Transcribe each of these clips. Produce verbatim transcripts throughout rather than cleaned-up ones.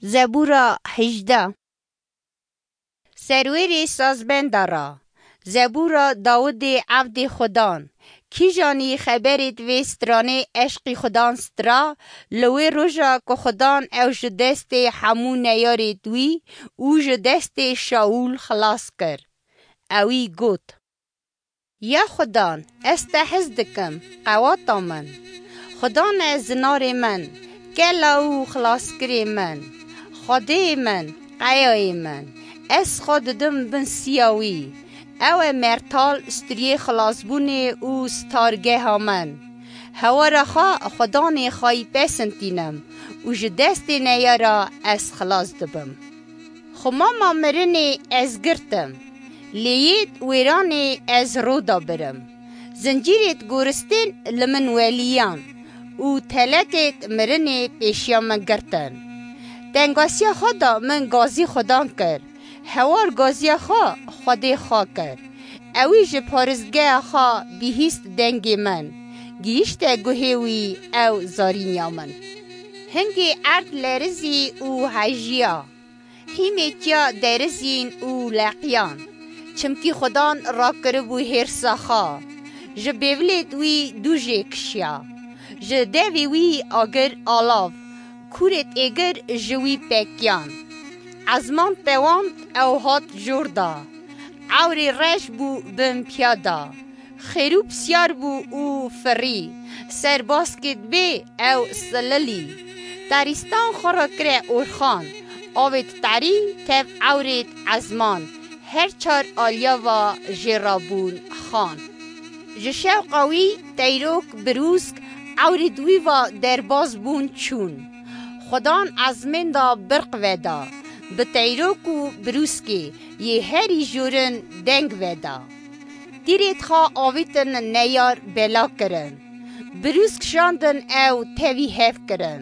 Zebûra hejdeh. Serwêrê sazbenda ra. Zebûra Dawidê evdê Xudan. Kîjanî xeberêt vê stranê eşqî Xudan stra, li wê roja ku Xudan ew ji destê hemû neyarêt wî û ji destê Şaûl xilas kir. Ewî got, Ya Xudan, ez te hez dikim, qewata min. Xudan e zinarê min, kela û xilaskirê min. Xwedê min, qeyayê min, ez xwe didim bin siya wî. Ew e mertal, striyê xilasbûnê û stargeha min. Hewara xwe Xudanê xweyî pesintînim û ji destê neyara ez xilas dibim. Xumama mirinê ez girtim, lê yêt wêranê ez roda birim. Zincîrêt goristên li min weliyan û telekêt mirinê pêşiya min girtin. Tengasiya xwe da min gazî Xudan kir, hewar gaziya xwe Xwedê xwe kir. Ewî ji paristgeha xwe bihîst dengê min, gihîşte guhê wî ew zarîniya min. Hingê erd lerizî û hejiya. Hîmê tiya derizîn û leqiyan, çimkî Xudan rakiribû hêrsa xwe. Ji bêvilêt wî dû jê kişiya. Ji devê wî agir alav, kûrêt êgir ji wî pekiyan. Ezman tewand ew hat jor da. Ewrê reş bû bin piya da. Xêrû pisyar bû û firî, ser baskêt bê ew sililî. Tarîstan xwe re kire orxan, avêt tarî tev ewrêt ezman, her çar aliya va jê re bûn xan. Ji şewqa wî teyrok birûsk ewrêt wî va derbaz bûn çûn. Xudan ezmên da birq veda, bi teyrok û birûskê yê herî jorin deng veda. Tîrêt xwe avîtin neyar bela kirin. Birûsk şandin ew tevî hev kirin.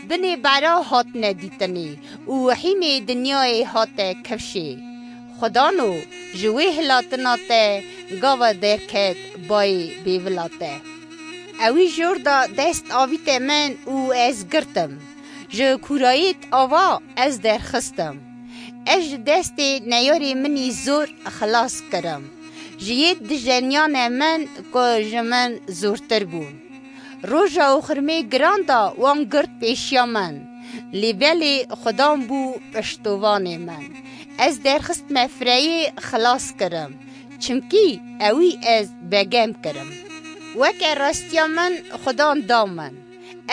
Binê bera hatine dîtinê û hîmê dinyayê hate kifşê. Xudano ji wê hilatina te gava derket bayê bêvila te. Ewî jor da dest avîte min û ez girtim. Ji kûrayêt ava ez derxistim. Ez ji destê neyarê min î zor xilas kirim. Ji yê dijeniyane min ku ji min zortir bûn. Roja û xirmê giran da wan girt pêşiya min. Lê belê Xudan bû piştovanê min. Ez derxistme fireyê xilas kirim. Çimkî ewî ez begem kirim. Weke rastiya min Xudan da min.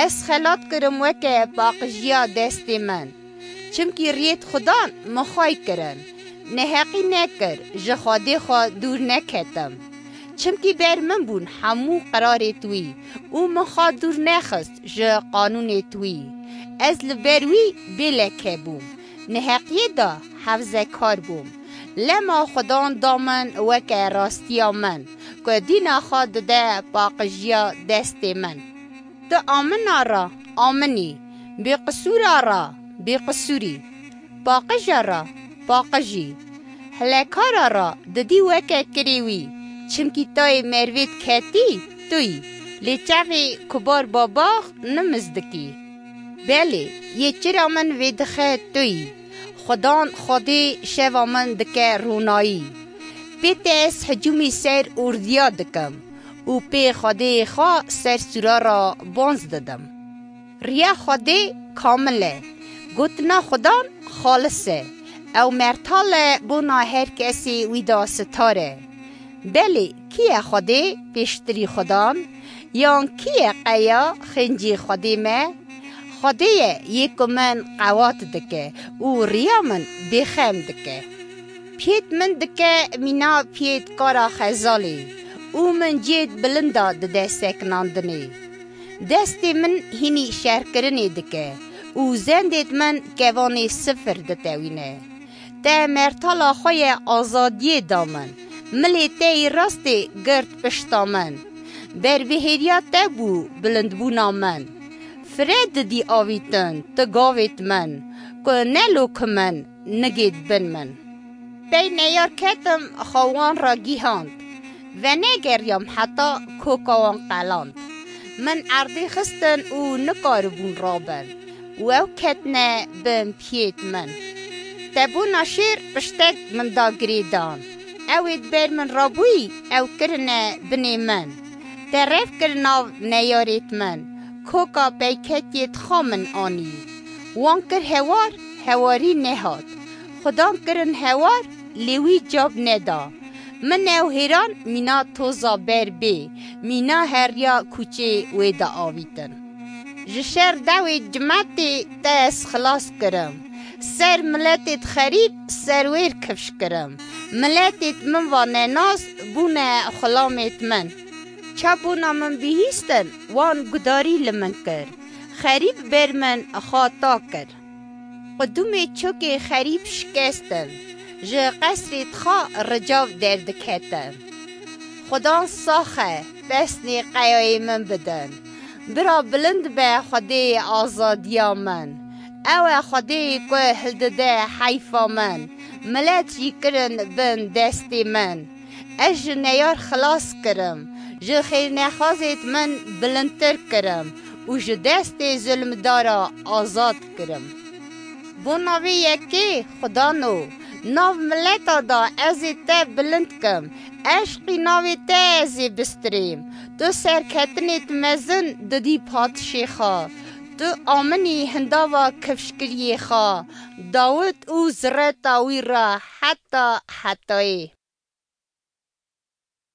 Ez xelat kirim weke paqijiya destê min. Çimkî riyêt Xudan min xway kirin. Neheqî nekir, ji Xwedê xwe dûr neketim. Çimkî ber min bûn hemû qirarêt wî û min xwe dûr nexist ji qanûnêt wî. Ez li ber wî bê leke bûm. Neheqiyê de hevzekar bûm. Lema Xudan da min weke rastiya min, ku dîna xwe dide paqijiya destê min. Tu amina re aminî, bêqisûra re bêqisûrî, paqija re paqijî, hilekara re didî weke kirê wî, çimkî tayê mervêt ketî tu yî, lê çavê kubar babax nimiz dikî. Belê, yê çira min vêdixe tu yî. Xudan Xwedê şeva min dike ronayî. Pê te ez hicûmî ser ordiya dikim û pê Xwedê xwe ser sûra re bonz didim. Riya Xwedê kamil e. Gotina Xudan xalis e. Ew mertal e bona her kesê wî de sitar e. Belê, kî ye Xwedê pêştirî Xudan? Yan kî ye qeya xêncî Xwedê me? Xwedê ye yê ku min qewat dike û riya min bêxem dike. Piyêt min dike mîna piyêt kara xezalê û min cêt bilinda dide sekinandinê. Destê min hînî şerkirinê dike û zendêt min kevanê sifir ditewîne. Te mertala xwe ye azadiyê da min. Milê te yê rastê girt pişta min. Berbihêriya te bû bilindbûna min. Fire didî avîtin tu gavêt min, ku ne lokim in, nigêt bin min. Pey neyar ketim xwe wan re gihand. Venegeriyam heta koka wan qeland. Min erdê xistin û nikaribûn rabin. û ew ketine bin piyêt min. Te bona şêr piştek min da girêdan. Ew ê di ber min rabûyî, ew kirine binê min. Te rev kir nav neyarêt min. Koka peyketiyêt xwe min anî. Wan kir hewar, hewarî nehat. Xudan kirin hewar, lê wî cab neda. Min ew hêran mîna toza ber bê, mîna heriya kûçê wê de avîtin. Ji şer dewê cimetê te ez xilas kirim. Ser miletêt xerîb serwêr kifş kirim. Miletêt min va nenas bûne xulamêt min. Çabûna min bihîstin, wan gudarî li min kir. Xerîb ber min xata kir. Qudumê çokê xerîb şikestin. Ji qesrê txa ricav derdiketin. Xudan sax e, pesnê qeyayê min bidin. Bira bilind be Xwedê azadiya min. Ew e Xwedê ku hildide heyfa min. Milet jî kirin bin destê min. Ez ji neyar xilas kirim. Ji xêrnexwazêt min bilindtir kirim û ji destê zulmdara azad kirim. Bona vê yekê Xudano, nav mileta da ez ê te bilind kim, eşqî navê te ez ê bistirêm. Tu serketinêt mezin didî padişê xwe. Tu aminî hindava kifşkiriyê xwe, Dawid û zireta wî re heta hetayê.